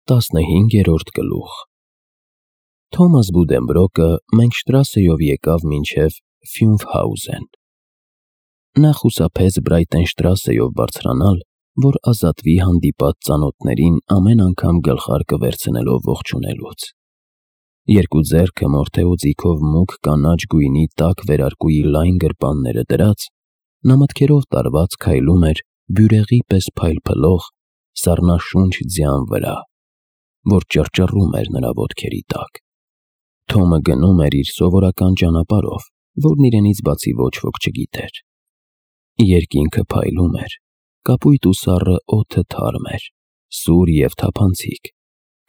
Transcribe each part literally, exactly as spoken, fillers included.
Տասնհինգերորդ գլուխ Թոմաս Բուդենբրոկը Մենգշտրասեով եկավ մինչև Ֆյունվհաուզեն։ Նա խուսափեց Բրայտենշտրասեով բարձրանալ, որ ազատվի հանդիպած ծանոթներին ամեն անգամ գլխարկը վերցնելով ողջունելուց։ Երկու ձեռքը մորթեոձիքով մուգ կանաչ գույնի տաք վերարկուի լայն գրպանները դրած, նա մտքերով տարված քայլում էր բյուրեղի պես փայլփլող սառնաշունչ ձյան վրա, որ ճռճռում էր նրա ոտքերի տակ։ Թոմը գնում էր իր սովորական ճանապարհով, որն իրենից բացի ոչ ոք չգիտեր։ Երկինքը փայլում էր, կապույտ ու սառը օդը թարմ էր, սուր և թափանցիկ,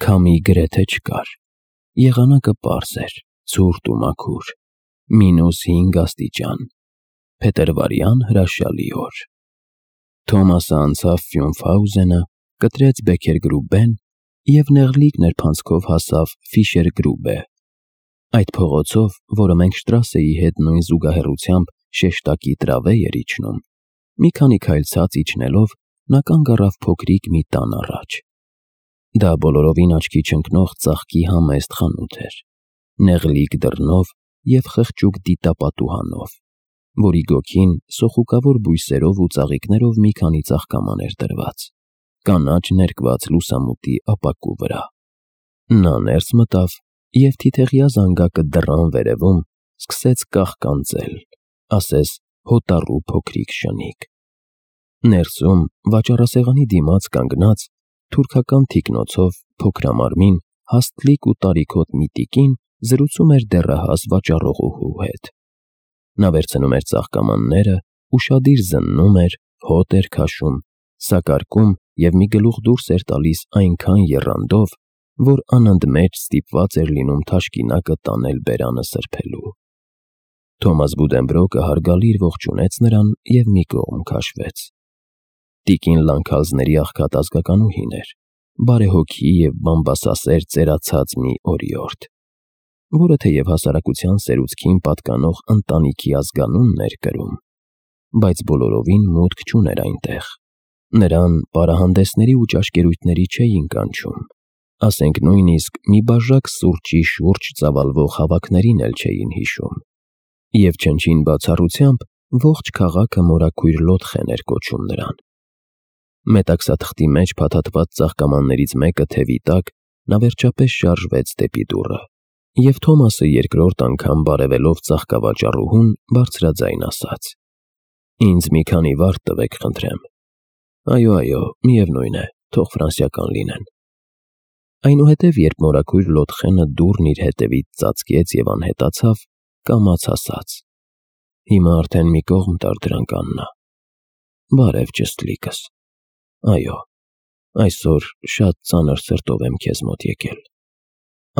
քամի գրեթե չկար, եղանակը պարզ էր, ցուրտ ու մաքուր, մինուս հինգ աստիճան, փետրվարյան հրաշալի օր։ Թոմասը անցավ Ֆյունվհաուզենը, կտրեց Բեքերգրուբեն և նեղլիկ նրբանցքով հասավ Ֆիշերգրուբե։ Այդ փողոցով, որը Մենգշտրասեի հետ նույն զուգահեռությամբ շեշտակի տրավե էր իջնում, մի քանի քայլ ցած իջնելով նա կանգ առավ փոքրիկ մի տան առաջ։ Դա բոլորովին աչքի չընկնող ծաղկի համեստ խանութ էր, նեղլիկ դռնով և խղճուկ դիտապատուհանով, որի գոգին սոխուկավոր բույսերով ու ծաղիկներով մի քանի ծաղկաման էր դրված, կանաչ ներկված լուսամուտի ապակու վրա։ Նա ներս մտավ և թիթեղյա զանգակը դռան վերևում սկսեց կաղկանձել, ասես հոտառու փոքրիկ շնիկ։ Ներսում, վաճառասեղանի դիմաց կանգնած, թուրքական թիկնոցով փոքրամարմին, հաստլիկ ու տարիքոտ մի տիկին զրուցում էր դեռահաս վաճառողուհու հետ։ Նա վերցնում էր ծաղկամանները, ուշադիր զննում էր, հոտ էր քաշում, սակարկում և մի գլուխ դուրս էր տալիս այնքան եռանդով, որ անընդմեջ ստիպված էր լինում թաշկինակը տանել բերանը սրբելու։ Թոմաս Բուդենբրոկը հարգալիր ողջունեց նրան և մի կողմ քաշվեց։ Տիկին լանքալզների աղքատ ազգականուհին էր, բարեհոգի և բամբասասեր ծերացած մի օրիորդ, որը թեև հասարակության սերուցքին պատկանող ընտանիքի ազգանունն էր կրում, բայց բոլորովին մուտք չուներ այնտեղ։ Նրան պարահանդեսների ու ճաշկերույթների չէին կանչում, ասենք նույնիսկ մի բաժակ սուրճի շուրջ ծավալվող հավաքներին էլ չէին հիշում, և չնչին բացառությամբ ողջ քաղաքը մորաքույր լոთხեն էր կոչում նրան։ Մետաքսաթղթի մեջ փաթաթված ծաղկամաններից մեկը թևի տակ նա վերջապես շարժվեց դեպի դուռը, և Թոմասը երկրորդ անգամ բարևելով ծաղկավաճառուհուն բարձրաձայն ասաց. «Ինձ մի քանի վարդ տվեք, խնդրեմ»։ «Այո, այո, միևնույն է, թող ֆրանսիական լինեն»։ Այնուհետև, երբ մորաքույր լոთხենը դուռն իր հետևից ծածկեց և անհետացավ, կամաց ասաց. «Հիմա արդեն մի կողմ տար դրանք, Աննա»։ «Բարև, ճշտլիկս»։ «Այո, այսօր շատ ծանր սրտով եմ քեզ մոտ եկել»։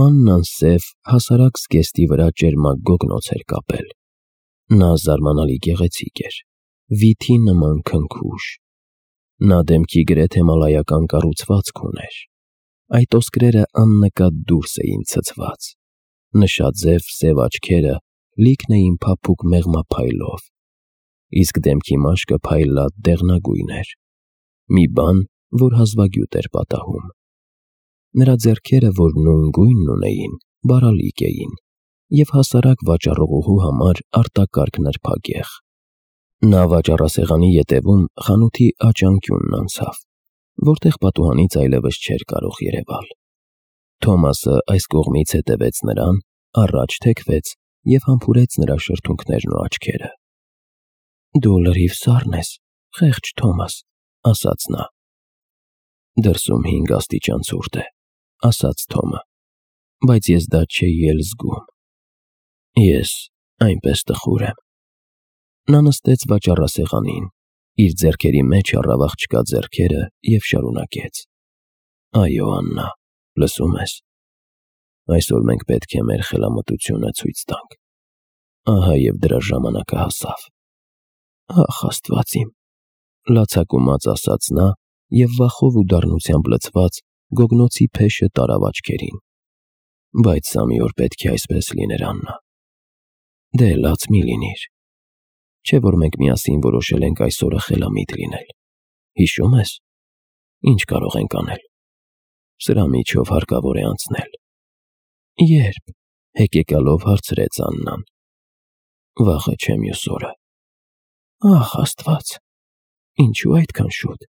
Աննան սև, հասարակ զգեստի վրա ճերմակ գոգնոց էր կապել։ Նա զարմանալի գեղեցիկ էր, վիթի նման քնքուշ։ Նա դեմքի գրեթե մալայական կառուցվածք ուներ։ Այդ ոսկրերը աննկատ դուրս էին ցցված։ Նշաձև սև աչքերը լիքն էին փափուկ մեղմափայլով, իսկ դեմքի մաշկը փայլատ դեղնագույն էր, մի բան, որ հազվագյուտ էր պատահում։ Նրա ձեռքերը, որ նույն գույնն ունեին, բարալիկ էին և հասարակ վաճառողուհու համար արտակարգ նրբագեղ։ Նա վաճառասեղանի ետևում խանութի աջ անկյունն անցավ, որտեղ պատուհանից այլևս չէր կարող երևալ։ Թոմասը այս կողմից հետևեց նրան, առաջ թեքվեց և համբուրեց նրա շրթունքներն ու աչքերը։ «Դու լրիվ սառն ես, խեղճ Թոմաս», ասաց նա։ «Դրսում հինգ աստիճան ցուրտ է», ասաց Թոմը, «բայց ես դա չէի էլ զգում»։ «Ես այնպես տխուր եմ»։ Նա նստեց վաճառասեղանին, իր ձեռքերի մեջ առավ աղջկա ձեռքերը և շարունակեց. «Այո, Աննա, լսում ես։ Այսօր մենք պետք է մեր խելամտությունը ցույց տանք։ Ահա և դրա ժամանակը հասավ»։ «Ախ, Աստված իմ», լացակումած ասաց նա և վախով ու դառնությամբ լցված գոգնոցի փեշը տարավ աչքերին։ «Բայց սա մի օր պետք է այսպես լիներ, Աննա»։ «Դե լաց մի լինիր։ Չէ՞ որ մենք միասին որոշել ենք այս օրը խելամիտ լինել։ Հիշո՞ւմ ես։ Ինչ կարող ենք անել»։ Սրա միջով հարկավոր է անցնել։ Երբ, հեկեկալով հարցրեց Աննան։ Վաղը չէ մյուս օրը։ Ախ, Աստված, ինչու այդքան շուտ։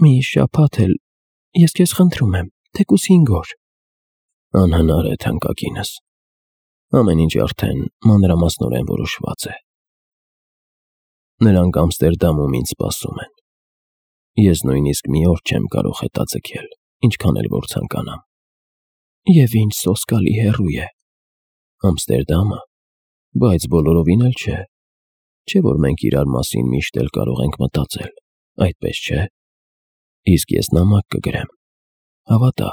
Մի շաբաթ էլ, ես քեզ խնդրում եմ, թեկուզ հինգ օր։ Անհնար է, թանկագինս։ Ամեն ինչ արդեն մանրամասնորեն որոշված է։ Նրանք Ամստերդամում ինձ սպասում են։ Ես նույնիսկ մի օր չեմ կարող հետաձգել, ինչքան էլ որ ցանկանամ։ Եվ ինչ սոսկալի հեռու է Ամստերդամը, բայց բոլորովին էլ չէ։ Չէ՞ որ մենք իրար մասին միշտ էլ կարող ենք մտածել, այդպես չէ։ Իսկ ես նամակ կգրեմ։ Հավատա,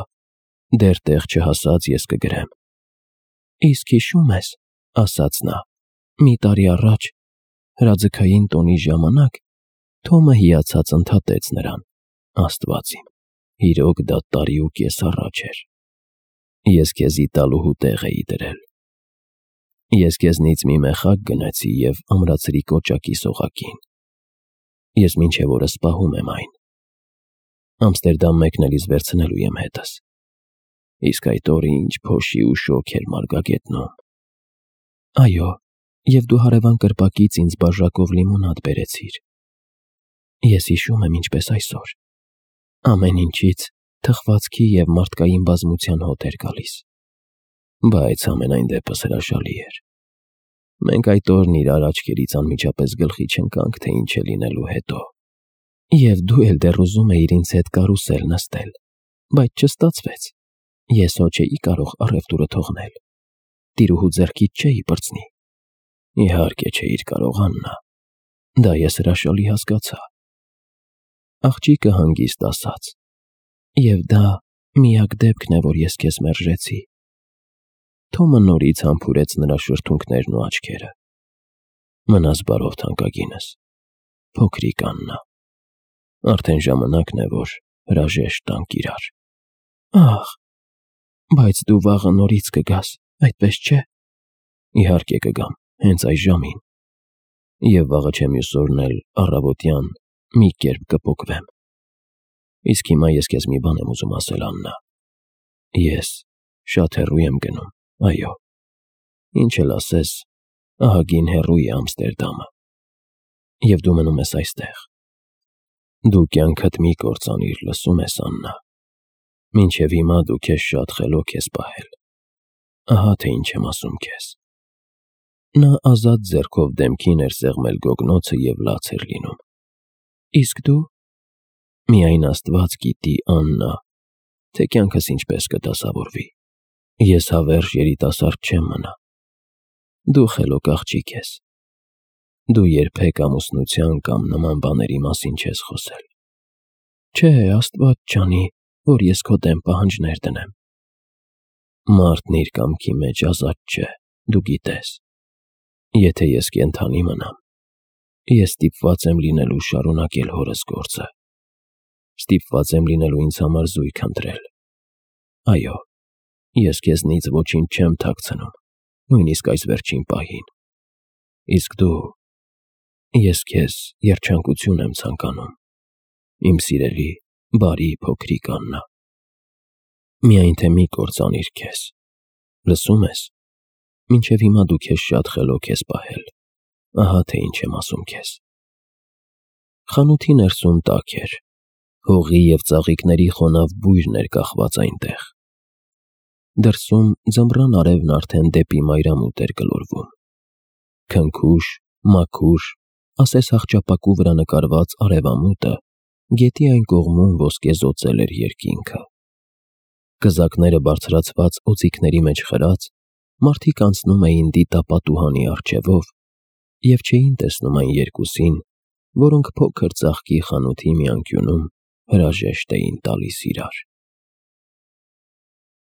դեռ տեղ չհասած ես կգրեմ։ Իսկ հիշում ես, ասաց նա, մի տարի առաջ հրաձգային տոնի ժամանակ Թոմը հիացած ընդհատեց նրան։ Աստված իմ, իրոք դա տարի ու կես առաջ էր։ Ես քեզի տալուհու տեղ էի դրել։ Ես քեզնից մի մեխակ գնեցի և ամրացրի կոճակի սողակին։ Ես մինչև օրս պահում եմ այն։ Ամստերդամ մեկնելիս վերցնելու եմ հետս։ Իսկ այդ օրը ինչ փոշի ու շոգ էր մարգագետնում։ Այո, և դու հարևան կրպակից ինձ բաժակով լիմոնադ բերեցիր։ Ես հիշում եմ ինչպես այսօր։ Ամեն ինչից թխվածքի և մարդկային բազմության հոտ էր գալիս։ Բայց ամենայն դեպս հրաշալի էր։ Մենք այդ օրն իրար աչքերից անմիջապես գլխի չընկանք, թե ինչ է լինելու հետո։ Եվ դու էլ դեռ ուզում էիր ինձ հետ կարուսել նստել, բայց չստացվեց։ Ես հո չէի կարող առևտուրը թողնել։ Տիրուհու ձեռքից չէի պրծնի։ Իհարկե չէիր կարող, Աննա։ Դա ես հրաշալի հասկացա։ Աղջիկը հանգիստ ասաց. Եվ դա միակ դեպքն է, որ ես քեզ մերժեցի։ Թոմը նորից համբուրեց նրա շրթունքներն ու աչքերը։ Մնաս բարով, թանկագինս, փոքրիկ Աննա։ Արդեն ժամանակն է, որ հրաժեշտ տանք իրար։ Ախ, բայց դու վաղը նորից կգաս, այդպես չէ։ Իհարկե կգամ, հենց այս ժամին։ Եվ վաղը չէ մյուս օրն էլ առավոտյան մի կերպ կպոկվեմ։ Իսկ հիմա ես քեզ մի բան եմ ուզում ասել, Աննա։ Ես շատ հեռու եմ գնում, այո։ Ինչ էլ ասես, ահագին հեռու է Ամստերդամը։ Եվ դու մնում ես այստեղ։ Դու կյանքդ մի կործանիր, լսում ես, Աննա։ Մինչև հիմա դու քեզ շատ խելոք ես պահել։ Ահա թե ինչ եմ ասում քեզ։ Նա ազատ ձեռքով դեմքին էր սեղմել գոգնոցը և լաց էր լինում։ Իսկ դու։ Միայն Աստված գիտի, Աննա, թե կյանքս ինչպես կդասավորվի։ Ես հավերժ երիտասարդ չեմ մնա։ Դու խելոք աղջիկ ես։ Դու երբեք ամուսնության կամ նման բաների մասին չես խոսել։ Չէ, Աստված ջանի, որ ես քո դեմ պահանջներ դնեմ։ Մարդն իր կամքի մեջ ազատ չէ, դու գիտես։ Եթե ես կենդանի մնամ, ես ստիպված եմ լինելու շարունակել հորս գործը։ Ստիպված եմ լինելու ինձ համար զույգ ընտրել։ Այո, ես քեզնից ոչինչ չեմ թաքցնում, նույնիսկ այս վերջին պահին։ Իսկ դու, ես քեզ երջանկություն եմ ցանկանում, իմ սիրելի, բարի փոքրիկ Աննա։ Միայն թե մի կործանիր քեզ, լսում ես։ Մինչև հիմա դու քեզ շատ խելոք ես պահել, ահա թե ինչ եմ ասում քեզ։ Խանութի ներսում տաք էր, հողի և ծաղիկների խոնավ բույրն էր կախված այնտեղ։ Դրսում ձմռան արևն արդեն դեպի մայրամուտ էր գլորվում։ Քնքուշ, մաքուր, ասես աղջապակու վրա նկարված արևամուտը գետի այն կողմում ոսկեզօծել էր երկինքը։ Կզակները բարձրացված օձիքների մեջ խրած, մարդիկ անցնում էին դիտապատուհանի առջևով և չէին տեսնում այն երկուսին, որոնք փոքր ծաղկի խանութի մի անկյունում հրաժեշտ էին տալիս իրար։